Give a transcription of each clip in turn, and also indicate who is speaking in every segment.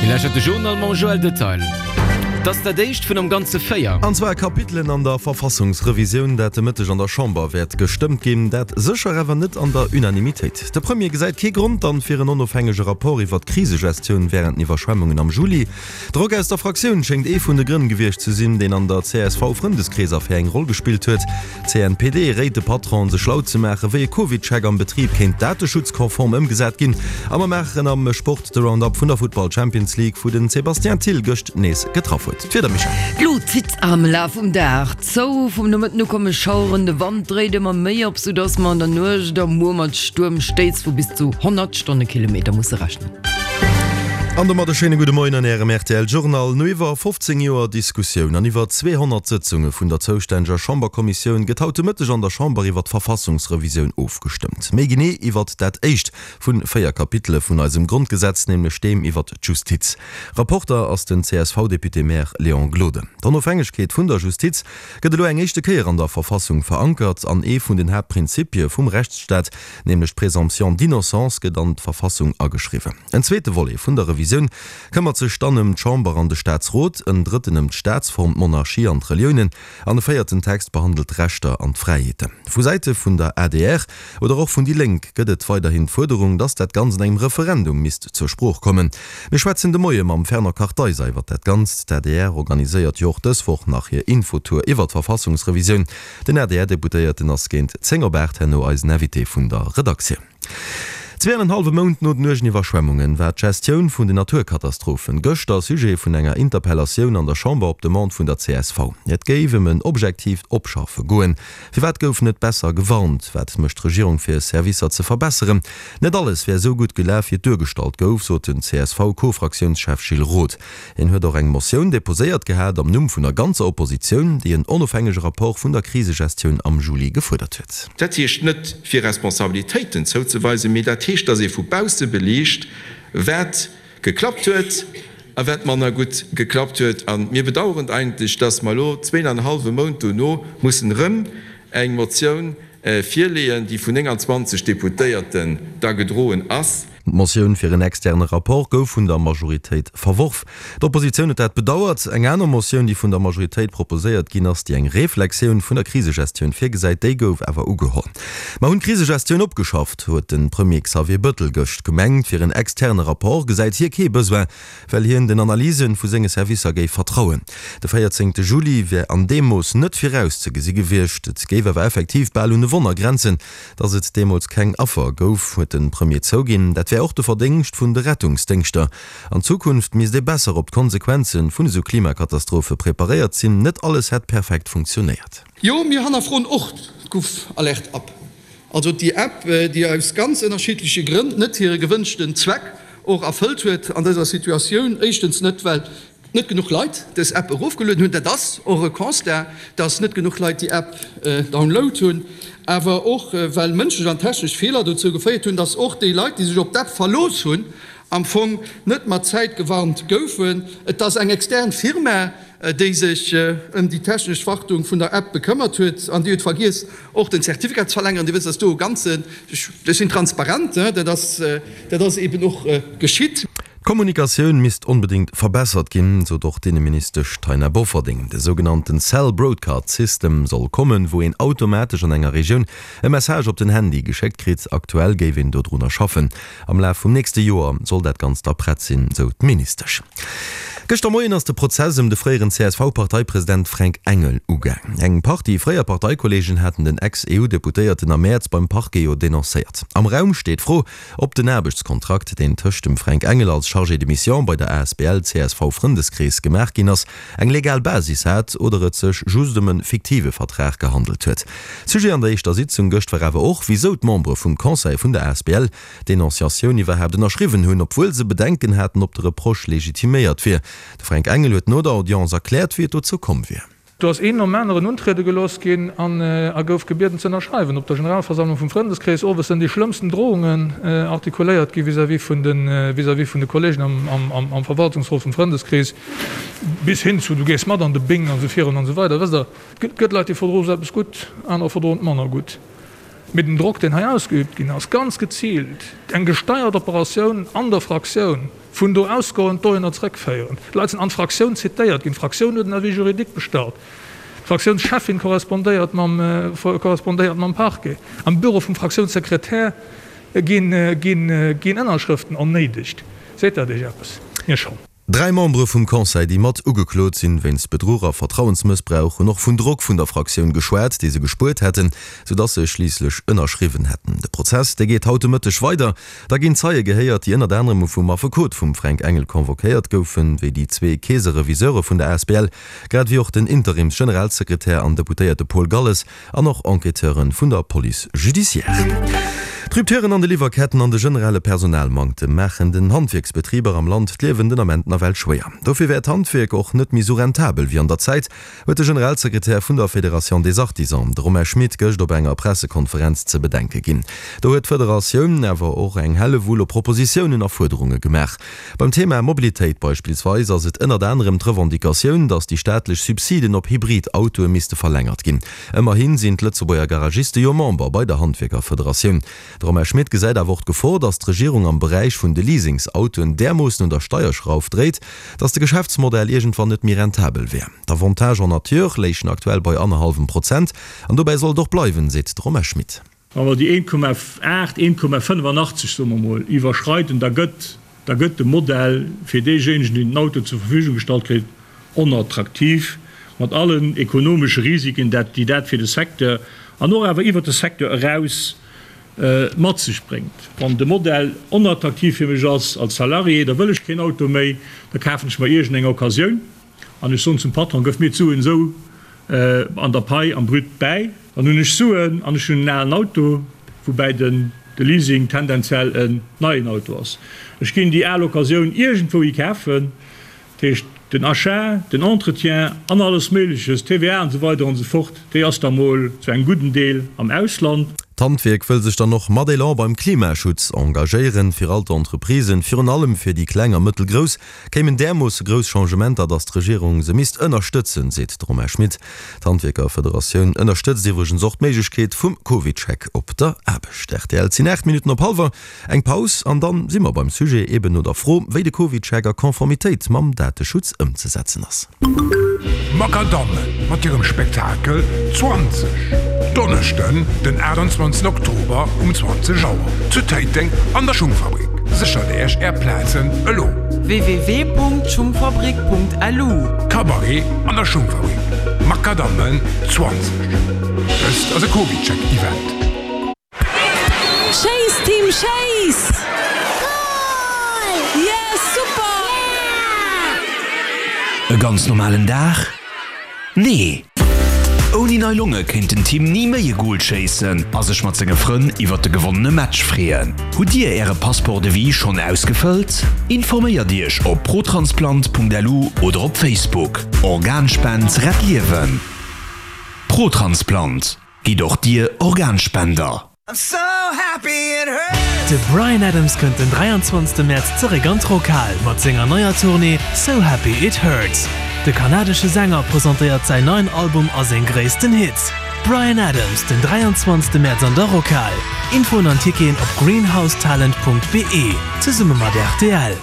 Speaker 1: Dir lauschtert de Journal mam Joël Detail. Et ass dat éischt vun am Ganze 4.
Speaker 2: An zwar Kapitelen an der Verfassungsrevisioun, dat de Mëtteg an der Chamber wäert gestëmmt ginn. Dat sécher awer net an der Unanimitéit. De Premier gesäit kee Grond dann fir en onofhängege Rapport iwwer d'Krisegestioun wärend den Iwwerschwemmungen am Juli. Drock aus der Fraktioun schéngt ee vun de Grënn gewiescht ze sinn, deen an der CSV-Frëndeskrees-Affär eng Roll gespillt huet. D'CNPD réit de Patronen, sech schlau ze maachen, wéi e Covid-Check am Betrib kéint dateschutzkonform ëmgesat ginn. A mer maachen am Sport de Round-Up vun der Futtball Champions League, wou den Sébastien Thill gëscht nees getraff huet. D'Wieder, Michèle?
Speaker 3: D'Lut zitt am Laf vum Dag zou. Vum Nomëtten u komme Schaueren, de Wand dréit ëmmer méi op, soudass mer an der Nuecht a muer mat Stuermstéiss vu bis zu 100 Stonnekilometer musse rechnen.
Speaker 2: An domat e schéine gudde Moien an Ärem rtl Journal. No iwwer 15 Joer Diskussioun an iwwer 200 Sëtzunge vun der zoustänneger Chamberkommissioun gëtt haut de Mëtteg an der Chamber iwwer d'Verfassungsrevisioun ofgestëmmt. Méi genee iwwert dat éischt vun 4 Kapitele vun eisem Grondgesetz, nämlech deem iwwert d'Justiz. Rapporter ass den CSV-Député-Maire Léon Gloden. D'Onofhängegkeet vun der Justiz gëtt elo eng éischte Kéier an der Verfassung verankert an ee vun den Haaptprinzipie vum Rechtsstaat, Nämlech d'Présomption d'innocence gëtt an d'Verfassung ageschriwwen. En zweete Volet vun der Revisioun këmmert sech dann ëm d'Chamber an de Staatsrot, en drëtten ëm d'Staatsform, d'Monarchie an d'Reliounen an e véierten Text behandelt d'Rechter an d'Fräiheeten. Vu Säite vun der adr oder och vun déi Lénk gëtt et weiderhin d'Fuerderung, datt dat Ganzt an engem Referendum misst zur Sprooch kommen. Mir schwätzen de Moie mam Fernand Kartheiser iwwer dat Ganzt. D'adr organiséiert jo och dës Woch nach hir Infotour iwwer d'Verfassungsrevisioun. Den ADR-Deputéierten ass géint 10 op 8 herno eisen Invité vun der Redaktioun. Zwee an en hallwe Mount no den uergen Iwwerschwemmunge war d'Gestioun vun den Naturkatastrophen gëschter Sujet vun enger Interpellatioun an der Chamber op Demande vun der csv. Et géif ëm en objektiivt Opschaffe goen. Firwat gouf net besser gewarnt? Wat mécht d'Regierung fir Servicer ze verbesseren? Net alles wär esou gutt gelaf, wéi et duergestallt gouf, sot den CSV-Co-Fraktiounschef Gilles Roth. Hien huet och eng Motioun deposéiert gehat am Numm vun der ganzer Oppositioun, déi en onofhängege Rapport vun der Krisegestioun am Juli gefuerdert huet.
Speaker 4: Dat heescht net, fir Responsabilitéiten zouzeweisen, mee dat heescht, dass ee vu bausse beliicht, wat geklappt huet a wat manner gutt geklappt huet. A mir bedauern eigentlech, dass mer elo zween an e hallwe Mount dono mussen erëm eng Motioun virleeën, déi vun 29 Deputéierten da gedroen ass.
Speaker 2: D'Motioun fir en externe Rapport gouf vun der Majoritéit verworf. D'Oppositioun huet dat bedauert. Eng aner Motioun, déi vun der Majoritéit proposéiert ginn ass, déi eng Reflexioun vun der Krisegestioun virgesäit, déi gouf awer ugeholl. Mer hunn d'Krisegestioun opgeschafft, huet de Premier Xavier Bëttel gëscht gemengt. Fir en externe Rapport gesäit hie kee Besoin, well hien den Analyse vu senge Servicer géif vertrauen. De 14 Juli wär an deem Mooss net virauszegesi gewiescht. Et géif awer effektiv bal un e Wonner grenzen, Datt et deemools keng Affer gouf, huet de Premier zouginn. Dat wär och de Verdéngscht vun de Rettungsdéngschter. An Zukunft misst ee besser op d'Konsequenze vun esou Klimakatastrophe preparéiert sinn. Net alles hätt perfekt funktionéiert.
Speaker 5: Jo, mir hannerfroen och d'GouvAlert-App, also déi App, déi aus ganz ënnerschiddleche Grënn net hire gewënschten Zweck och erfëllt huet an dëser Situatioun. Éischtens net, well net genuch Leit dës App erofgelueden hunn, dat ass och e Constat, dass net genuch Leit déi App download hunn, awer och well mënschlech an technesch Feeler dozou geféiert hunn, dass och déi Leit, déi sech op d'App verlooss hunn, am Fong net mat Zäit gewarnt goufen. Et ass eng extern Firma, déi sech ëm déi technesch Wartung vun der App bekëmmert huet an déi huet vergiess, och den Zertifikat ze verlängeren. Dir wësst, dass do e ganzen, ech sinn transparent, dat ass, dat ass eeben och geschitt.
Speaker 2: D'Kommunikatioun misst onbedéngt verbessert ginn, sot och d'Inneministesch Taina Bofferding. De sougenannten Cell Broadcast System soll kommen, wou een automatesch an enger Regioun e Message op den Handy geschéckt kritt. Aktuell géif een dodrunner schaffen. Am Laf vum nächste Joer soll dat Ganzt da prett sinn, sou d'Ministesch. Gëschter Moien ass de Prozess ëm de fréieren CSV-Parteipresident Fränk Engel ugaang. Eng Partie fréier Parteikollegen haten den Ex-EU-Deputéierten am Mäerz beim Parquet jo denoncéiert. Am Raum steet d'Fro, ob den Aarbechtskontrakt, deen tëscht dem Fränk Engel als Chargé de mission bei der asbl csv Frëndeskrees gemaach ginn ass, eng legal Basis hat oder et sech just ëm e fiktive Vertrag gehandelt huet. Sujet an der éischter Sitzung gëscht war awer och, wisou d'Membere vum Conseil vun der asbl d'Denonciatioun iwwerhaapt ënnerschriwwen hunn, obwuel se Bedenken haten, ob de Reproche legitiméiert wier. De Fränk Engel huet no der Audience erkläert, wéi et dozou komm wier.
Speaker 6: Do ass een nom aneren untriede gelooss ginn an a gouf gebieden ze ënnerschreiwen. Op der Generalversammlung vum Frëndeskrees owes sënn déi schlëmmsten Drohungen artikuléiert gi vis-à-vis vun de vis-à-vis vun de Kollegen am am Verwaltungsrot vum Frëndeskrees, bis hin zu du gees mat an de Bing an esou virun an esou weider. Wësst Der, et gëtt Leit, déi verdroe sou eppes gutt, anerer verdroen et manner gutt. Mee den Drock, deen hei ausgeübt ginn ass, ganz geziilt, eng gesteiert Operatioun an der Fraktioun. Vun do ausgoend dohinner zrëckféieren. D'Leit sinn an d'Fraktioun zitéiert ginn. D'Fraktioun huet en Avis juridique bestallt. D'Fraktiounscheffin korrespondéiert mam, korrespondéiert mam Parquet. Am Büro vum Fraktiounssekretär ginn, ginn, ginn Ënnerschrëften ernéidegt. Seet dat Iech eppes? Mir schonn.
Speaker 2: Dräi Membere vum Conseil, déi mat ugeklot sinn wéinst Bedruch a Vertrauensmëssbrauch, hunn och vun Drock vun der Fraktioun geschwat, dee se gespuert hätten, sou datt se schliisslech ënnerschriwwen hätten. De Prozess, dee geet haut de Mëtteg weider. Da ginn Zeie gehéiert, déi ënnert anerem vum Affekot vum Fränk Engel convoquéiert goufen, wéi déi zwee Keesereviseure vun der asbl, grad ewéi och den Interims-Generalsekretär an Deputéierte Paul Galles an och Enquêteure vun der Police judiciaire. D'Rupturen an de Liwwerketten an de generelle Personalmanktem maachen den Handwierksbetriber am Land d'Liewen den Ament nawell schwéier. Dofir wär d'Handwierk och net méi sou rentabel wéi an der Zäit, huet de Generalsekretär vun der Fédération des Artisans, de Romain Schmit, gëscht op enger Pressekonferenz ze bedenke ginn. Do huet d'Federatioun awer och eng Hellewull u Propositiounen a Fuerderunge gemaach. Beim Thema Mobilitéit beispillsweis ass et ënnert anerem d'Revendicatioun, datt déi staatlech Subsiden op Hybrid-Autoe misste verlängert ginn. Ëmmerhi sinn d'Lëtzebuerger Garagiste jo Member bei der Handwierkerfederatioun. De Romain Schmit gesäit awer och d'Gefor, datt d'Regierung am Beräich vun de Leasingsautoen därmoossen un der Steierschrauf dréit, datt de Geschäftsmodell iergendwann net méi rentabel wär. D'Avantages en nature léichen aktuell bei annerhallwem Prozent an dobäi soll et och bleiwen, seet de Romain Schmit.
Speaker 7: Wa mer déi 1,8, 1,85, soe mer emol, iwwerschreiden, da gëtt, da gëtt de Modell fir deejéinegen, deen den Auto zur Verfügung gestallt kritt, onattraktiv, mat allen ekonomesche Risiken, dat, déi dat fir de Secteur an och awer iwwert de Secteur eraus mat sech bréngt. Wann de Modell onattraktiv fir mech ass als Salarié, da wëll ech keen Auto méi, da kafen ech mer iergendeng Occasioun. An ech soen zum Patron, Gëff mir d'Suen esou an der Pai am Brut bäi. Dann hunn ech Suen an ech hunn en alen Auto, woubäi den de Leasing tendenziell en neien Auto ass. Ech ginn déi al Occasioun iergendwou hi kafen. Dat heescht, den Achat, den Entretien an alles Méigleches, TVA an esou weider an esou fort, déi ass da mol zu engem gudden Deel am Ausland.
Speaker 2: D'Handwierk wëll sech dann och mat Elan beim Klimaschutz engagéieren. Fir all d'Entreprisen, virun allem fir déi kleng a mëttelgrouss, Kéimen därmoosse grouss Changementer, datt d'Regierung se misst ënnerstëtzen, seet de Romain Schmit. D'Handwierkerfederatioun ënnerstëtzt iwwregens och d'Méiglechkeet vum CovidCheck op der Aarbecht. Rtl, Et sinn 8 Minutten op hallwer. Eng Paus an dann si mer beim Sujet, eben no der Fro, wéi de CovidCheck a Konformitéit mam Dateschutz ëmzesetzen ass.
Speaker 8: Makadammen mat hirem Spektakel 20, Donneschden den 28 Oktober um 20 Auer zu Téiteng an der Schungfabrik. Séchert Äech Är Plazen elo!
Speaker 9: www.schungfabrik.lu.
Speaker 8: Cabaret an der Schungfabrik, Makadammen 20. Dëst ass e CovidCheck-Event.
Speaker 10: Schéiss Team schéiss! Goal! Yes super!
Speaker 11: E ganz normalen Dag? Nee! Ouni nei Longe kéint den Tim ni méi e Goal schéissen a sech mat senge Frënn iwwert de gewonnene Match freeën. Hutt Dir Äre Passeport de vie schonn ausgefëllt? Informéiert Iech op protransplant.lu oder op Facebook. Organspend rett Liewen! Protransplant. Gitt och Dir Organspender!
Speaker 12: De Bryan Adams kënnt den 23 Mäerz zeréck an d'Rockhal mat senger neier Tournée So Happy It Hurts. De kanadesche Sänger presentéiert säin neien Album a seng gréissten Hits. Bryan Adams den 23 Mäerz an der Rockhal. Infoen an Ticketen op greenhousetalent.be zesumme mat rtl.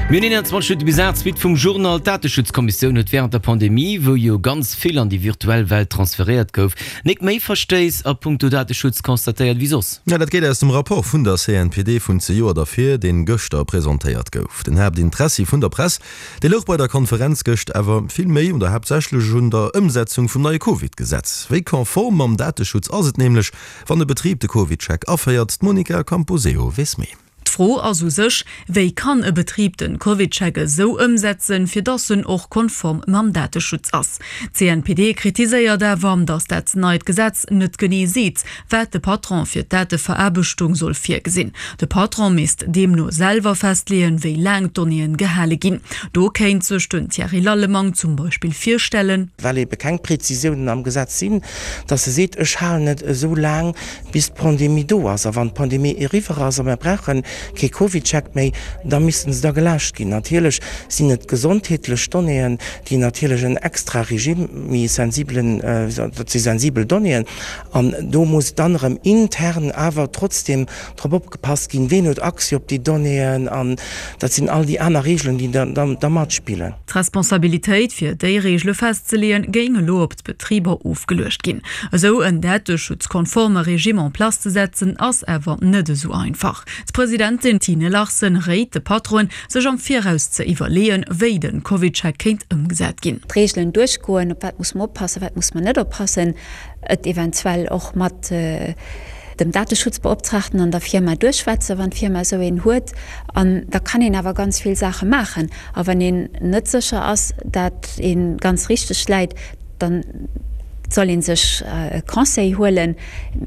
Speaker 1: Mir hunn 21 Minutte bis 8, Suite vum Journal. D'Dateschutzkommissioun huet wärend der Pandemie, wou jo ganz vill an déi virtuell Welt transferéiert gouf, nik méi Verstéiss a punkto Dateschutz constatéiert wéi soss.
Speaker 2: Jo, dat geet aus dem Rapport vun der CNPD vun zejoert ervir, deen gëschter presentéiert gouf. Den Haaptinteressi vun der Press, dee louch bei der Konferenz gëscht awer vill méi oder haaptsächlech un der Ëmsetzung vum neie Covid-Gesetz. Wéi konform mam Dateschutz ass et nämlech, wann e Betrib de CovidCheck aféiert? D'Monica Camposeo weess méi.
Speaker 13: D'Fro ass u sech, Wéi kann e Betrib den CovidCheck esou ëmsetzen, fir dass en och konform mam Dateschutz ass? D'CNPD kritiséiert awer, dass dat neit Gesetz net genee seet, wat de Patron fir d'Dateveraarbechtung soll virgesinn. De Patron misst deemno selwer festleeën, wéi laang d'Donnéeën gehale ginn. Do kéint sech den Thierry Lallemang zum Beispill virstellen,
Speaker 14: well ebe keng Prezisiounen am Gesetz sinn, dass e seet, ech halen et esou laang, bis d'Pandemie do ass. A wann d'Pandemie eriwwer ass a mer brauchen. kee CovidCheck méi, da missten se da geläscht ginn. Natierlech sinn et gesondheetlech Donnéeën, déi natierlech en extra Regime, méi sensibelen, dat si sensibel Donnéeën an do muss dann erëm intern awer trotzdem drop opgepasst ginn, ween huet Accès op déi Donnéeën an dat sinn all déi aner Regeln, déi da matspillen.
Speaker 13: D'Responsabilitéit, fir déi Reegele festzeleeën, géing elo op d'Betriber ofgeluecht ginn. Esou en dateschutzkonforme Regime en place ze setzen, ass awer net esou einfach. D'Presidentin Tine Larsen réit de Patronen, sech am Viraus ze iwwerleeën, wéi de CovidCheck kéint ëmgesat ginn.
Speaker 9: D'Reegelen duerchgoen, op wat muss mer oppassen, wat muss mer net oppassen, et eventuell och mat dem Dateschutzbeoptraagten an der Firma duerchschwätzen, wann d'Firma esou een huet. An da kann een awer ganz vill Saache maachen. A wann een net sécher ass, dat ee ganz richteg läit, dann soll ee sech e Conseil huelen.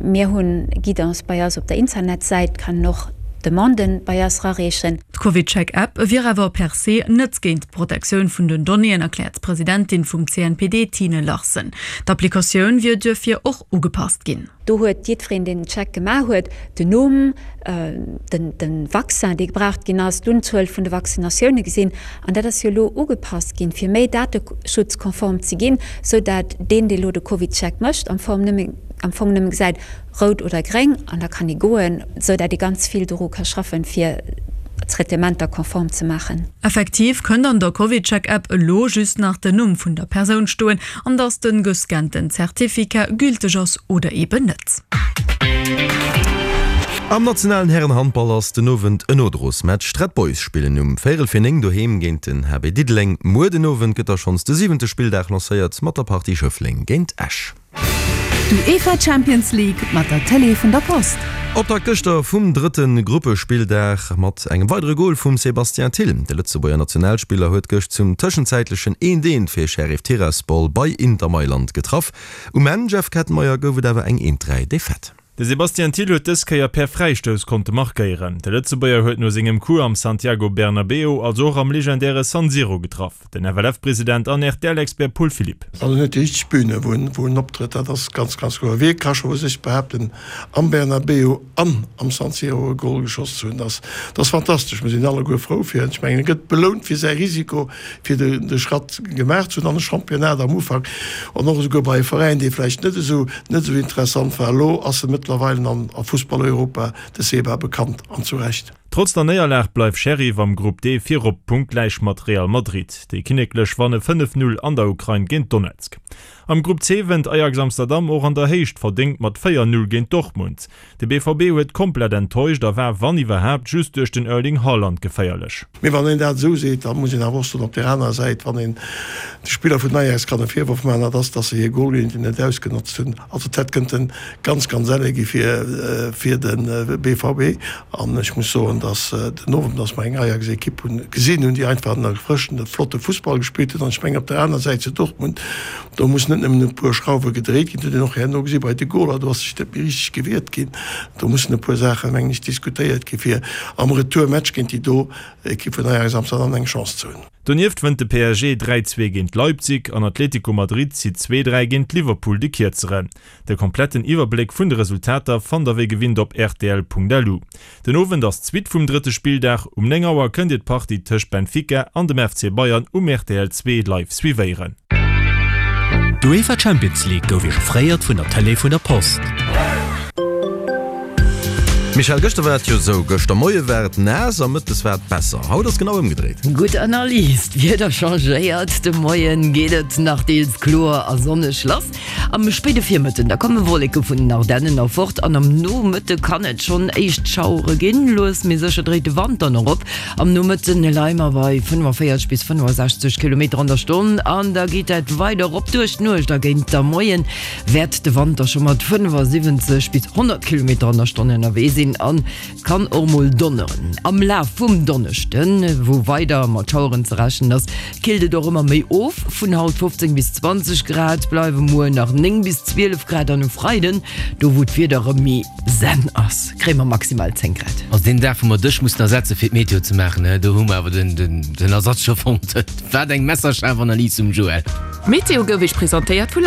Speaker 9: Mir hunn Guidance bei eis op der Internetsäit, kann een och Demanden bei eis rareechen.
Speaker 13: D'CovidCheck-App wier awer per se net géint d'Protektioun vun den Donnéeën, erkläert d'Presidentin vum CNPD Tine Larsen. D'Applikatioun wier duerfir och ugepasst ginn.
Speaker 9: Do huet jiddwereen, deen den Check gemaach huet, den Numm, de Vaccin, dee gebraucht ginn ass, d'Unzuel vun de Vaccinatioune gesinn. An dat ass jo elo ugepasst ginn, fir méi dateschutzkonform ze ginn, sou dat deen, dee elo de CovidCheck mécht, am Fong nëmme gesäit, rout oder gréng, an da kann ee goen, sou dat ee ganz vill doru ka schaffen, fir d'Traitementer konform ze maachen.
Speaker 13: Effektiv kënnt an der CovidCheck-App elo just nach den Numm vun der Persoun stoen an dass den gescannten Certificat gülteg ass oder eben net.
Speaker 2: Am nationalen Härenhandball ass den Owend en Nodrosmatch. D'Red Boys spillen um véierel fir 9 doheem géint den HB Diddeleng. Muer den Owend gëtt da schonns de siwente Spilldag lancéiert mat der Partie Schëffleng géint Esch.
Speaker 10: D'UEFA Champions League mat der Télé vun der Post.
Speaker 2: Optakt gëschter vum drëtte Gruppespilldag mat engem weidere Gol vum Sébastien Thill. De Lëtzebuerger Nationalspiller huet gëscht zum tëschenzäitlechen eent eent fir Sheriff Tiraspol bei Inter Mailand getraff. Um Enn, Jeff Kettenmeyer, gouf et awer eng eent 3 Defaite.
Speaker 15: De Sébastien Thill huet dës Kéier per Fräistouss konnte markéieren. De Lëtzebuerger huet no sengem Coup am Santiago Bernabéu, also och am legendäre San Siro getraff. Den FLF-President an RTL-Expert Paul Philipp.
Speaker 16: Also en huet déi richteg Bühne, wou en, wou en optrëtt, dat ass ganz, ganz kloer. Wie ka scho vu sech behaapten, am Bernabéu an am San Siro e Gol geschoss ze hunn? Dat ass fantastesch. Mir sinn alleguer frou fir en. Ech mengen, e gëtt belount fir säi Risiko, fir de, de Schratt gemaach ze hunn an e Championnat am Ufank an och esouguer bei e Veräin, dee vläicht net esou, net esou interessant war. Elo ass e mëttlerweilen an a Fussball-Europa, de Seba, bekannt an zu Recht.
Speaker 15: Trotz der Néierlag bleift Sheriff am Grupp D virop, punktgläich mat Real Madrid. Déi Kinneklech wanne 5, 0 an der Ukrain géint Donetsk. Am Grupp C wënnt Ajax Amsterdam och an der Héicht verdéngt mat 4, 0 géint Dortmund. De BVB huet komplett enttäuscht a war, wann iwwerhaapt, just duerch den Erling Haaland geféierlech.
Speaker 16: Mee wann een dat esou seet, da muss een awer och soen, op där anerer Säit, wann een de Spiller vun Ajax kann e Virworf maachen, dat ass, datt se hir Golgeleeënheeten net ausgenotzt hunn. Also et hätt kënnte ganz, ganz elle gi fir, fir de BVB. An ech muss soen, datt den Owend, datt mer eng Ajax-Ekipp hunn, gesinn hunn, déi einfach en erfrëschende, flotte Fussball gespillt huet. An ech mengen, op der aner Säit zu Dortmund, do mussen net nëmmen e puer Schrauwe gedréit ginn, dat huet een och herno gesi bei de Goler, do ass sech net méi richteg gewiert ginn. Do mussen e puer Saachen, mengen ech, diskutéiert gi fir am Retourmatch géint déi do Ekipp vun Ajax Amsterdam eng Chance ze hunn.
Speaker 15: Donieft wënnt de PSG 3, 2 géint Leipzig an Atlético Madrid zitt 2, 3 géint Liverpool de Kierzeren. De kompletten Iwwerbléck vun de Resultater fannt der wéi gewinnt op rtl.lu. Den Owend ass d'Suite vum drëtte Spilldag. Um 9 Auer kënnt Dir d'Partie tëscht Benfica an dem FC Bayern um rtl 2 live suivéieren.
Speaker 11: D'UEFA Champions League gouf Iech offréiert vun der Tëlee vun der Post.
Speaker 2: Michèle, gëschter war et jo esou, gëschter Moie war et naass a mëttes war et besser. Haut ass genau ëmgedréit.
Speaker 3: Gutt Analys, d'Wieder changéiert, de Moien geet et nach deels kloer a sonneg lass. Am spéide Virmëtten da komme Wolleke vun den Ardennen erfort an am Nomëtte kann et schonn éischt Schauere ginn. Lues mee sécher dréit de Wand dann och op. Am Nomëtte leie mer bei 45 bis 65 Kilometer an der Stonn an da geet dat weider erop. Duerch d'Nuecht a géint der Moie wäert de Wand da scho mat 75 bis 100 Kilometer an der Stonn ënnerwee sinn an Et kann och mol donneren. Am Laf vum Donneschden, wou weider mat Schaueren ze rechnen ass, killt et och ëmmer méi of. Vun haut 15 bis 20 Grad bleiwe muer nach 9 bis 12 Grad an um Freiden, do wou d'Wieder erëm méi zen ass, kréie mer maximal 10 Grad.
Speaker 1: Also deen Dag wou mer dech mussen ersetze fir d'Meteo ze maachen, do hu mer awer den Ersatz scho fonnt. Wat eng messerschaarf Analys vum Joël.
Speaker 17: D'Meteo gouf Iech presentéiert vu.